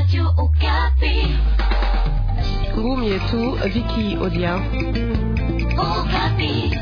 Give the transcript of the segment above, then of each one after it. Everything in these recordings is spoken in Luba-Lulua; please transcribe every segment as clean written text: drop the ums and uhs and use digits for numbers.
Radio Okapi. Ngumi yetu Vicky Odia. Okapi.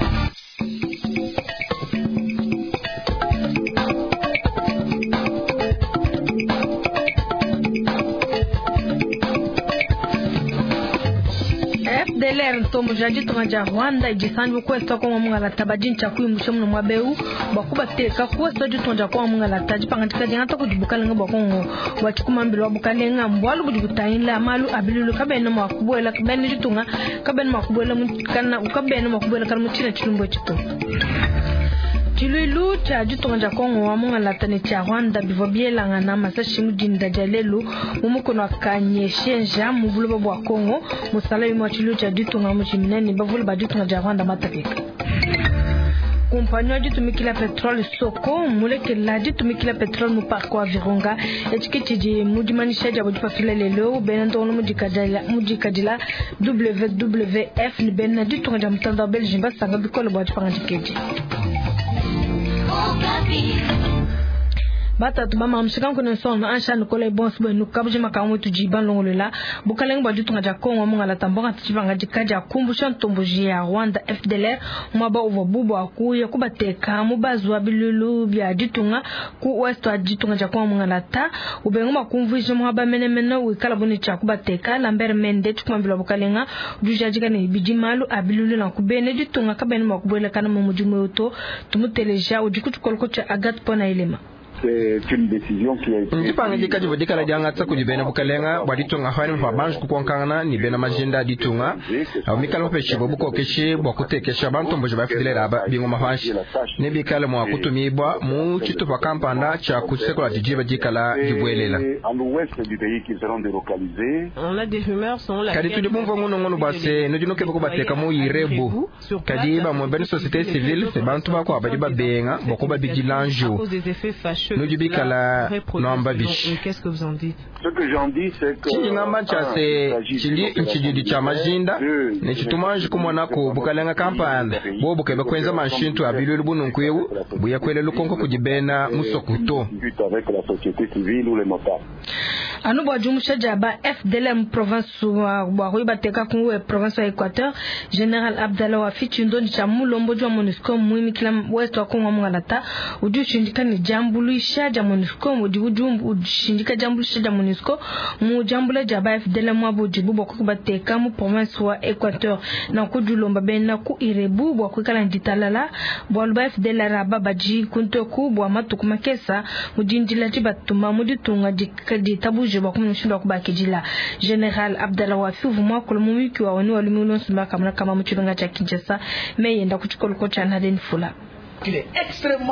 FDLR ntombo ja ditunga dia Rwanda idisanji kuesta kongo mungalata badintsha kuimusha muno mwa beu bua kubateka kuesta ditunga dia kongo mungalata dipangadika diangata kudi bukalenga bua Kongo bua tshikumambila wa bukalenga mbualu budi butangila malu a bilulu kabena mua kubuela bena ditunga kabena mua kubuela kana kabena mua kubuela kana mu tshina tshilumbu etshi to. Tshiluilu tshia ditunga dia Kongo wa mungalata ne tshia Rwanda bivua bielangana masashi mu dinda dia lelu mu mukono wa Kanyeshenja mu buloba bua Kongo musala yumwe wa tshiluilu tshia ditunga mujimine ne bavule ba ditunga dia Rwanda matapika. Kumpanyi wa ditumikila petrole Soko mulekela ditumikila petrole mu parc wa Virunga etshi ke tshidi mu dimanyisha diabo dipatula lelu bena ndongo mudikadila WWF ne bena ditunga dia mutanda wa Belgique basanga bikole bua dipangadika edi. Batatu bamamshika nkune nsono ansha nikola bonso bwenu kabujima kamwe tujiba longolola bukalenga bua ditunga dia Kongo mungalata mbonga tuchipangadika dia kumbusha ntomboji ya Rwanda FDLR mwaba uvua bubu akuya kubateka mubazu wa bilulu bia ditunga ku west wa ditunga dia Kongo mungalata ubenga makumvuija mwaba menemene wikala bune tshia kubateka Lambert Mende tshikumambila bukalenga ujadika ne bidi malu a bilulu na kubene ditunga kabene mwa kubuelekana mu mudimu uto tumuteleja udi ku tshikoloko tshia Agathe Pona Elema. Ndipangadika divua dikala diangatsa kudi bena bukalenga bua ditunga panyima pa banji kukonkangana ne bena majinda a ditunga abo mikale bapeshibue bukokeshi bua kutekesha bantomboji ba FDLR aba bingoma panshi ne bikale mua kutumibua mu tshitupa kampanda tshia ku tshisekelo didiba dikala dibuelela. Kadi tudi bumvua ngunungunu bua se nudi nukeba kubateka mu Irebu kadi bamue bena société civile ne bantu bakuabu badi babenga bua kubabidila njiwu. Nudi bikala nuamba bishi. Tshindi ngamba ntshia se tshili ntshididi tshia majinda ne tshitumanji kumonaku bukalenga kampanda bobu kebe kuenza manshintu a bilulu bununku ebu buya kuela lukonko kudi bena musoku to. Anu bua diumusha dia ba FDLR mu province bua kuibateka ku province wa Equateur General Abdallah Wafi tshindondi tshia mulombodi wa MONUSCO muimikila west wa Kongo mungalata udi ushindika ne diambuluisha dia MONUSCO udi ushindika diambuluisha dia MONUSCO mu diambula dia ba FDLR muabu udibu bua kubateka mu province wa Equateur na kudilomba bena ku Irebu bua kuikala ne ditalala bualu ba FDLR aba badi kuntoku bua matuku makesa mu dindila dibatuma mu ditunga ditabuje bua kumanya mushindu wa kubakidila. General Abdallah Wafi uvua muakula mu muyuki wa onu wa lumingu luonso makamuna kama mu tshimenga tshia Kinshasa meyenda ku tshikoloko tshia Nadine Fula.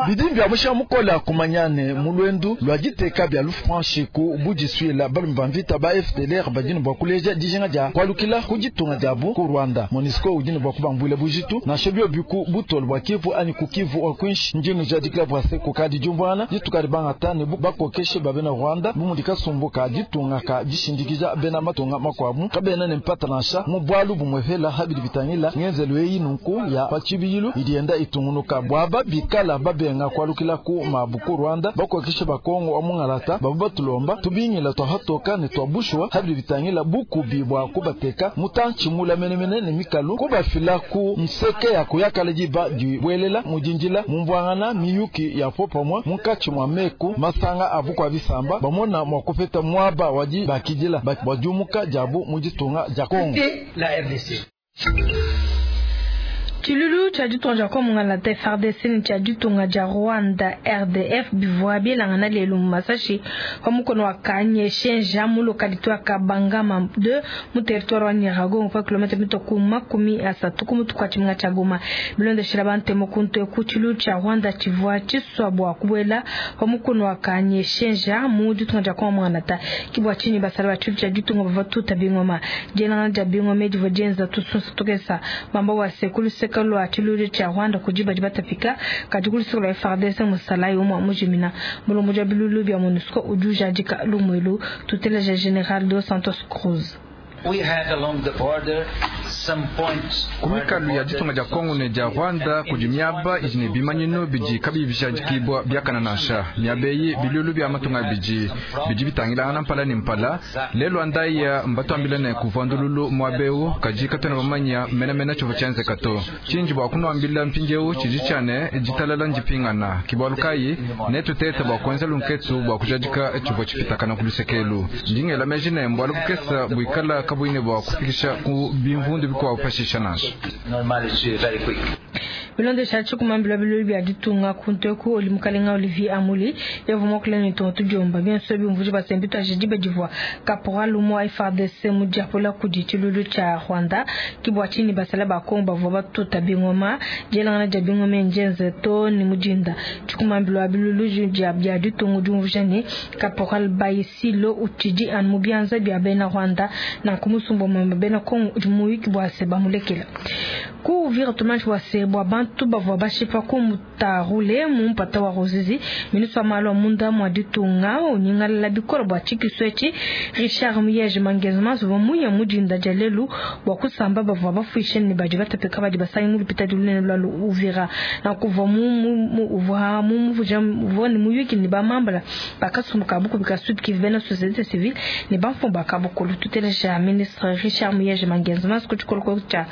Bidi bia mushinga mukola kumanyane mu lwendu lwa diteka bia lufranchi ku budisuila balume ba mvita ba FDLR badini bua kuleja dijinga dia kualukila ku ditunga diabu ku Rwanda. MONUSCO udini bua kubambuila bujitu nansha biobi ku butolo bua Kivu anyi ku Kivu wa kwinshi ndinu jadikila bua se kukadi diumvuangana ditukadi bangata ne bakokeshe ba bena Rwanda bu mudi kasumbu ka ditunga ka dishindikija bena matunga makuabu kabena ne mpata nansha mu bualu bumwepela habidi bitangila ngenzelu eyi nunku ya pa tshibidilu idi yenda itungunuka bua bikala babenga kualukila ku mabu ku Rwanda bakokeshe bakongo wa mungalata babu batulomba tubingila twahatoka ne twabushwa habidi bitangila bukubi bua kubateka mutantshi mula menemene ne mikalu kubafila ku nseke ya kuyakala diba dibuelela mudindila mumvuangana miyuki ya popamwa munkatshi mwa meku masanga abu kwa bisamba bamona mwa kupeta mwaba wadi bakidila bua diumuka diabu mu ditunga dia Kongo. Tshilulu tshia ditunga dia Kongo mungalata FARDC ne tshia ditunga dia Rwanda RDF bivua bielangana lelu mu masashi pa mukono wa Kanyeshenja mu localité wa Kabangama 2 mu territoire wa Nyiragongo pa kilomita mito ku 30 ku mutu kwa tshimenga tshia Goma. Bilondeshela bantemo ku nteku tshilulu tshia Rwanda tshivua tshisua bua kubuela pa mukono wa Kanyeshenja mu ditunga dia Kongo mungalata kibua tshinyi basala ba tshilulu tshia ditunga bavua tuta bingoma dielangana dia bingoma divua dienza tusunsa tukesa bamba wa sekulu lwa tshilulu tshia Rwanda kudi badi batapika kadi ku luseke lwa FARDC musalayi umue mujimina mulombo wa bilulu bia MONUSCO udi ujadika lumuelu tuteleja General dos Santos Cruz. We had along the border Ku mikalu ya ditunga dia Kongo ne dia Rwanda kudi miaba idi ne bimanyinu bidi kabiyi bijadikibua biakana nansha. Miaba eyi biluilu bia matunga abidi bidi bitangilangana mpala ne mpala. Lelu wa ndaya mbatuambila ne kuvua ndululu muaba eu, kadi katuena bamanya menamena tshivua tshienzeka to. Tshindi bua kunuambila mpindieu tshidi tshia ne, ditalala ndipingana. Ke bualu kayi netutete bua kuenza lunketu bua kujadika tshivua tshipitakana ku luseke elu. Ndi ngela meji ne, mbualu bukese buikala kabuyi ne bua kufikisha ku bimvundu bikuabu pashisha nansha. Bilondesha tshikumambila bilulu bia ditunga kuntu eku oli mukalenga Olivier Amuli yavua muakule ne tonto tudiomba bionso biumvuija basembi tuaje diba divua caporal umue wa FARDC mudiapula kudi tshiluilu tshia Rwanda. Ke bua tshinyi basala ba Kongo bavua batuta bingoma. Dielangana dia bingoma ndienze too ne mu dinda. Tshikumambila wa bilulu bia ditunga udi umvuija ne, caporal Bayisilo utshidi anu mu bianza bia bena Rwanda, nanku musumba wa bena Kongo udi muyuki bua se bamulekela. Ku Uvira tumanyi bua se bua bantu bavua bashipa ku Mutarule mu mpata wa Ruzizi, ministre wa malu a munda mua ditunga unyingalala bikole bua tshikisu etshi. Richard Muyej Mangezmas uvua muye mu dinda dia lelu bua kusamba bavua bafuishe ne badi batapika badi basangi mu lupitadi lunene lua Uvira. Nanku uvua uvua uvua ne muyuki ne bamambala ba kasumbu ka bukubi ka Sud Kivu, bena société civile ne bamfumu ba kabukulu. Tuteleja ministre Richard Muyej Mangezmas ku tshikolokolo tshia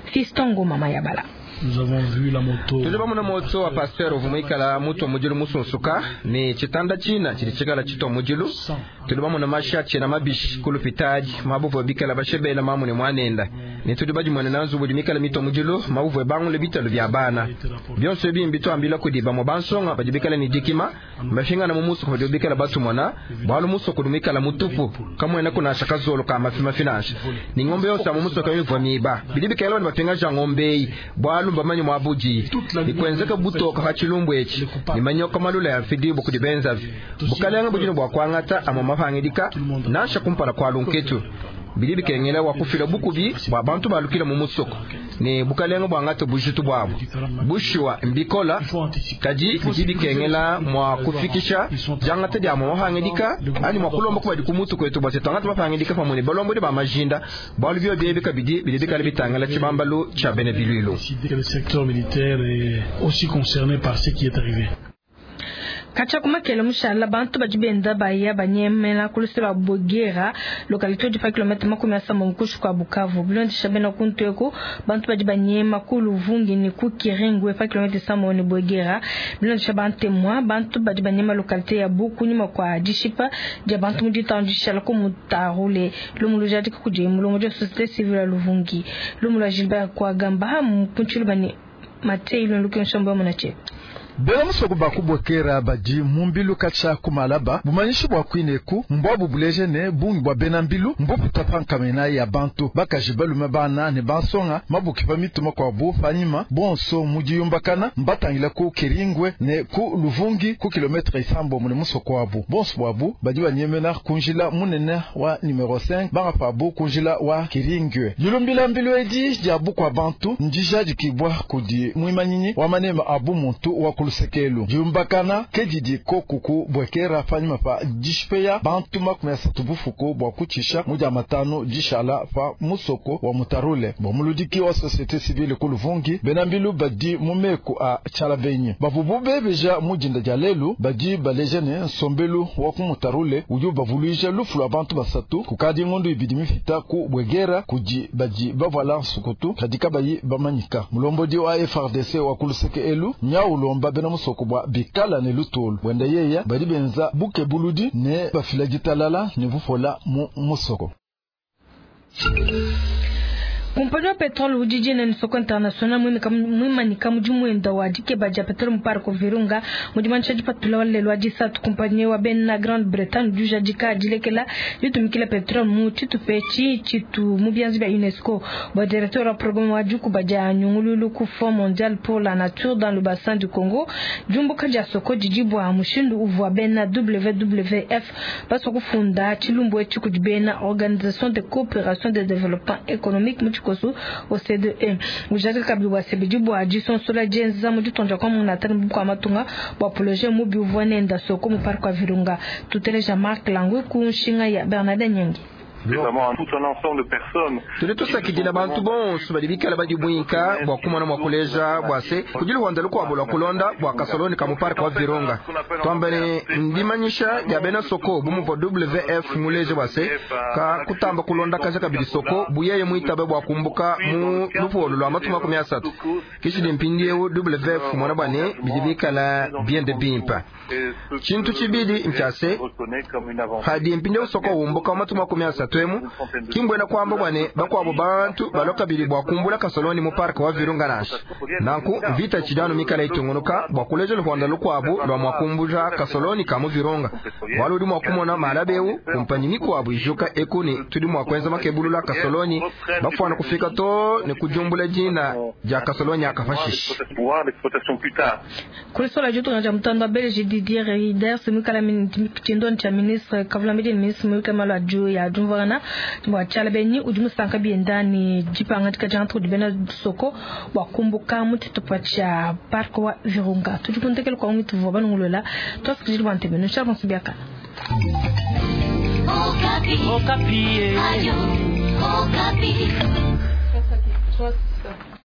Fiston Ngoma Mayabala. Tudi bamona moto wa pasteur uvua muikala mutua mudilu musunsuka ne tshitanda tshina tshidi tshikala tshitua mudilu. Tudi bamona mashi atshiena mabishi ku lupitadi mabuvua bikala bashebela mamu ne muanenda, ne tudi badimuenena nzubu udi mikala mitua mudilu mabuvua bangule bitalu bia bana. Bionso ebi mbituambila kudi bamue bansonga badi bikala ne dikima mbafingana mu musoko badi bikala batumona, bualu musoko udi muikala mutupu kamuena kunasha kazolo ka mafi mafi nansha ne ngombe yonso ya mu musoko mivua miba. Bidi bikala badi bapingaja ngombe eyi bualu mbamanye muabudi nikwenzeka butoka pa tshilumbu etshi ne manyoka malula ya mfidibu kudi benzavi. Bukalenge budi ne bua kuangata amue mapangidika nansha kumpala kua lunketu. Bidi bikengela wa kufila bukubi bua bantu balukila mu musoko ne bukalenge buangate bujitu buabu. Bushuwa mbikola, kadi bidi bikengela mua kufikisha diangata dia amue mapangidika anyi mua kulomba kubadi ku mutu kwetu bua se tuangate mapangidika pamue ne balombodi ba majinda, bualu bio biebi kabidi bidi bikala bitangila tshibambalu tshia bena biluilu. Le secteur militaire est aussi concerné par ce qui est arrivé. Katshia ku makele mushala bantu badi benda baya banyemena ku luse lua Bwegera, localité udi pa kilomètre 30 kuinshi kua Bukavu. Bilondesha bena kuntu eku, bantu badi banyema ku Luvungi ne ku Kiringwe pa kilomètre 7 ne Bwegera. Bilondesha bantemwa, bantu badi banyema localité ya Buku nyuma kua dishipa dia bantu mu ditanu dishala ku Mutarule. Lumu lujadika kudi mulongo wa société civile ya Luvungi. Lumu lua Gilbert Kwagamba mu bani Matei Luluke Nsombo Munache. Bena musoko bakubwekera badi mu mbilu katshia kumalaba bumanyishi bua kuineku mbwabu buleje ne bungi bua bena mbilu mbuputa pa nkamena ya bantu bakaji balume bana ne bansonga mabuki pa mituma kuabu panyima bonso mu diyumbakana mbatangila ku Kiringwe ne ku Luvungi ku kilometre 7 mune musoko wabu. Bonso bwabu badi banyemena ku njila munene wa numero 5 bangapabu ku njila wa Kiringwe. Dilumbila mbilu edi dia bukua bantu ndijadikibwa kudi muimanyinyi wa manema abu muntu wa lusekelu diumbakana ke didi kokuku bwekera panyima pa dishipeya bantu 30 bufuku bua kutshisha mu dia matanu dishala pa musoko wa Mutarule. Bua muludiki wa société civile ku Luvungi bena mbilu badi mu meku a Tshalabenyi bavubu bebeja mu dinda dia lelu badi baleja ne nsombelu wa ku Mutarule udi ubavuluija lufu lua bantu 3 kukadi ngondo ibidi mifita ku bwegera kudi badi bavuala nsukutu kadi kabayi bamanyika. Mulombodi wa FARDC wa ku luseke elu nyaulomba bena musoko bua bikala ne lutulu bwenda yeya badi benza buke buludi ne bafila ditalala ne bufola mu musoko. Kompani wa petrole udi ne soko international mwimanika mudimu wenda wa dikeba dia petrole mu parc Virunga mudimanisha dipatula wa lelu wa disatu. Kompani wa bena Grande Bretagne udi dilekela ditumikila petrole mu tshitupa etshi tshitu mu bianza bia UNESCO. Bua directeur wa programme wa dikuba dia nyungululu ku Fonds mondial pour la nature dans le bassin du Congo, diumbuka dia soko didi bua mushindu uvua bena WWF basua kufunda tshilumbu etshi kudi bena Organisation de coopération de développement économique mu OCDE. Ujadika kabidi bua sebidi bua disonsola dienza mu ditonja kwa munatani bukua matunga bua projet mubi uvua nenda soko mu parc wa Virunga. Tuteleja Marc Langwe ku nshinga ya Bernardin Nyangi. Tudi tusakidila bantu bonso badi bikala badibuinka bua kumona mua kuleja bua se kudi luhonda lukuabu lua kulonda bua kasoloni ka mu parke wa Virunga. Tuamba ne ndimanyisha dia bena soko bu muvua WF muleje bua se ka kutamba kulondakaja kabidi soko bu yeye muitabe bua kumbuka mu lupolu lua matuku 30. Kishidi mpindieu WF mona bua ne bidi bikala biende bimpe. Tshintu tshibidi ntshia se padi mpindieu soko umbuka mu matuku 30 emu kimbwena kuamba bua ne bakuabu bantu balua kabidi bua kumbula kasoloni mu parke wa Virunga nansha. Nanku mvita itshidi anu mikala itungunuka bua kuleja luhonda lukuabu lua mua kumbuja kasoloni ka mu Virunga. Bualu udi mua kumona malaba eu kumpanyi mikuabu ijuka eku ne tudi mua kuenza makebulula kasoloni bafuana kufika to ne kujumbula dina dia kasoloni akapashisha. Kulisola ditunga dia mutanda wa Belgique Didier Reynders muikala tshindoni tshia ministre kavulambedi ne ministre muikala malu a ya diumvuangana bua tshiala benyi udi musanka bienda ne dipangadika dia kudi bena soko bua kumbuka mu tshitupa tshia parc wa Virunga. Tudi ku ndekelu kua ngwitu tuvua banungulula tuasikijili bua ntebe nusha bonso biakana. Okapi. Okapi. Ayo.